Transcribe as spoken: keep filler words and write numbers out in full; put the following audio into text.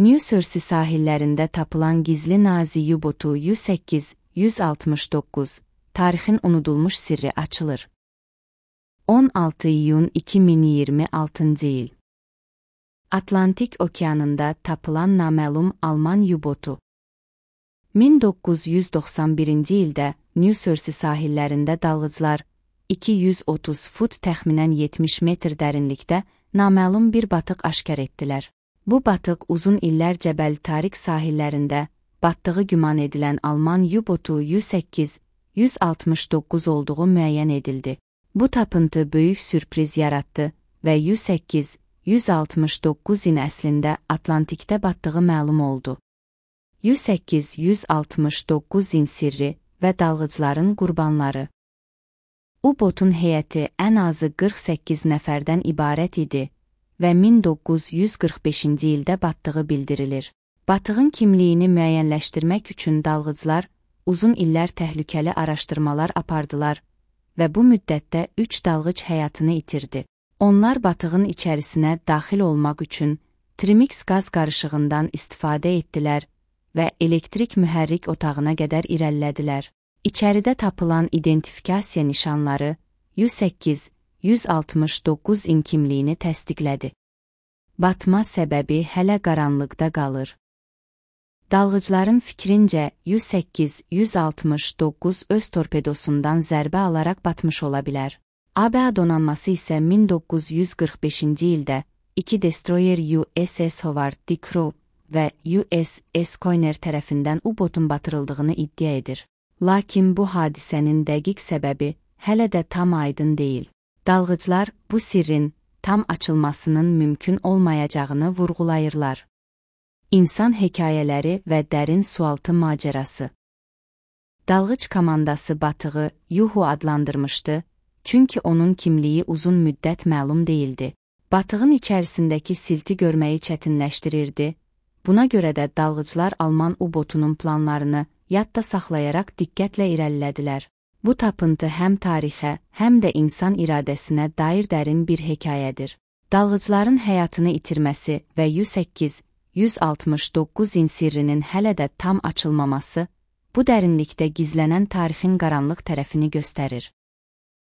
New Jersey sahillərində tapılan gizli Nazi U-botu U səkkiz yüz altmış doqquz, tarixin unudulmuş sirri açılır. on altı iyun iki min iyirmi altıncı il. Atlantik okeanında tapılan naməlum Alman U-botu. min doqquz yüz doxsan birinci ildə New Jersey sahillərində dalğıcılar iki yüz otuz fut təxminən yetmiş metr dərinlikdə naməlum bir batıq aşkar etdilər. Bu batıq uzun illər Cəbəl Tarik sahillərində batdığı güman edilən Alman U-botu U səkkiz yüz altmış doqquz olduğu müəyyən edildi. Bu tapıntı böyük sürpriz yaratdı və U səkkiz yüz altmış doqquzun əslində Atlantikdə batdığı məlum oldu. U səkkiz yüz altmış doqquzun sirri və dalğıcların qurbanları. U-botun heyəti ən azı qırx səkkiz nəfərdən ibarət idi və min doqquz yüz qırx beşinci ildə batdığı bildirilir. Batığın kimliyini müəyyənləşdirmək üçün dalğıcılar uzun illər təhlükəli araşdırmalar apardılar və bu müddətdə üç dalğıc həyatını itirdi. Onlar batığın içərisinə daxil olmaq üçün Trimix qaz qarışığından istifadə etdilər və elektrik mühərrik otağına qədər irəlilədilər. İçəridə tapılan identifikasiya nişanları U səkkiz yüz altmış doqquzun kimliyini təsdiqlədi. Batma səbəbi hələ qaranlıqda qalır. Dalğıcların fikrincə U səkkiz yüz altmış doqquz öz torpedosundan zərbə alaraq batmış ola bilər. A B A donanması isə min doqquz yüz qırx beşinci ildə iki destroyer U S S Howard D. Crowe və U S S Coiner tərəfindən U-botun batırıldığını iddia edir. Lakin bu hadisənin dəqiq səbəbi hələ də tam aydın deyil. Dalğıclar bu sirrin tam açılmasının mümkün olmayacağını vurğulayırlar. İnsan hekayələri və dərin sualtı macərası. Dalğıc komandası batığı Yuhu adlandırmışdı, çünki onun kimliyi uzun müddət məlum değildi. Batığın içərisindəki silti görməyi çətinləşdirirdi. Buna görə də dalğıclar Alman U-botunun planlarını yadda saxlayaraq diqqətlə irəlilədilər. Bu tapıntı həm tarixə, həm də insan iradəsinə dair dərin bir hekayədir. Dalğıcların həyatını itirməsi və U səkkiz yüz altmış doqquzun sirrinin hələ də tam açılmaması, bu dərinlikdə gizlənən tarixin qaranlıq tərəfini göstərir.